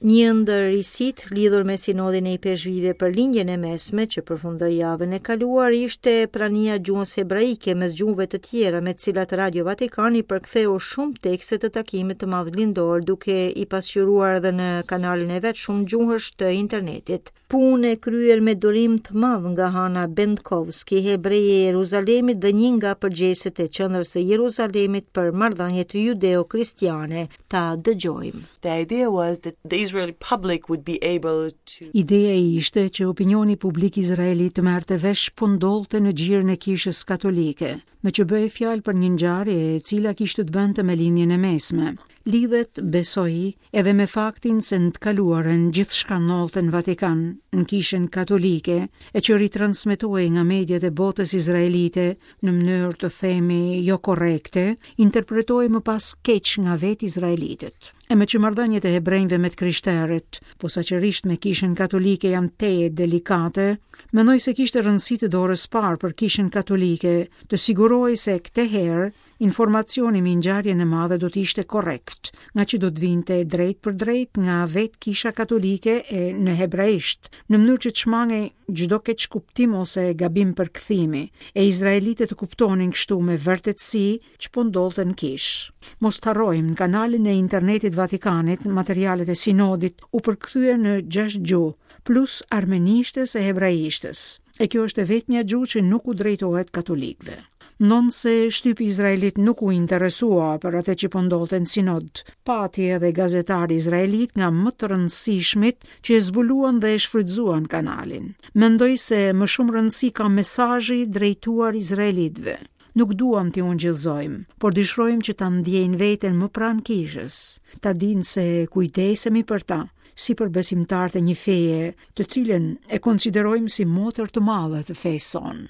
Një ndër risitë lidhur me sinodin e ipeshkvijve për Lindjen e Mesme që përfundoi javën e kaluar ishte prania e gjuhës hebraike mes gjuhëve të tjera me të cilat Radio Vatikani përktheu shumë tekste të takimit të madh lindor duke i pasqyruar edhe në kanalin e vet shumëgjuhësh të internetit. Punë e kryer me durim të madh nga Hana Bendkowski, hebreje e Jeruzalemit dhe një nga përgjegjësit e Qendrës së Jeruzalemit për marrëdhëniet judeo-kristiane. Ta dëgjojmë. The idea was that the Israeli public would be able to Ideja ishte që opinioni publik izraelit të merrte vesh ç'po ndodhte në gjirin e Kishës Katolike, meqë bëhej fjalë për një ngjarje e cila kishte të bënte me Lindjen e Mesme. Lidhet, besoj, edhe me faktin se në të kaluarën gjithçka ndodhte në Vatikan, në Kishën Katolike, e që ritransmetohej nga mediat e botës izraelite në mënyrë të themi jo korrekte, interpretohej më pas keq nga vetë izraelitët. E meqë marrëdhëniet e hebrenjve me të krishterët, posaçërisht me Kishën Katolike janë tejet delikate, mendoj se kishte rëndësi të dorës parë për Kishën Katolike të sigurohej se këtë herë Informacioni mbi ngjarjen e madhe do të ishte korrekt, ngaqë do të vinte drejtpërdrejt nga vetë Kisha Katolike e në hebraisht, në mënyrë që të shmangej çdo keqkuptim ose gabim përkthimi, e izraelitët të kuptonin kështu me vërtetësi ç'po ndodhte në kishë. Mos të harrojmë, në kanalin e internetit Vatikanit, materialet e sinodit u përkthyen në 6 gjuhë, plus armenishtes e hebraishtes. E kjo është e vetmja gjuhë që nuk u drejtohet katolikëve. Ndonëse shtypi izraelit nuk u interesua për atë që po ndodhte në sinod, pati edhe gazetarë izraelitë nga më të rëndësishmit që e zbuluan dhe e shfrytëzuan kanalin. Mendoj se më shumë rëndësi ka mesazhi drejtuar izraelitëve. Nuk duam t'i ungjillëzojmë, por dëshirojmë që ta ndjejnë veten më pranë kishës, ta dinë se kujdesemi për ta, si për besimtarët e një feje, të cilën e konsiderojmë si motër të madhe të fesë sonë.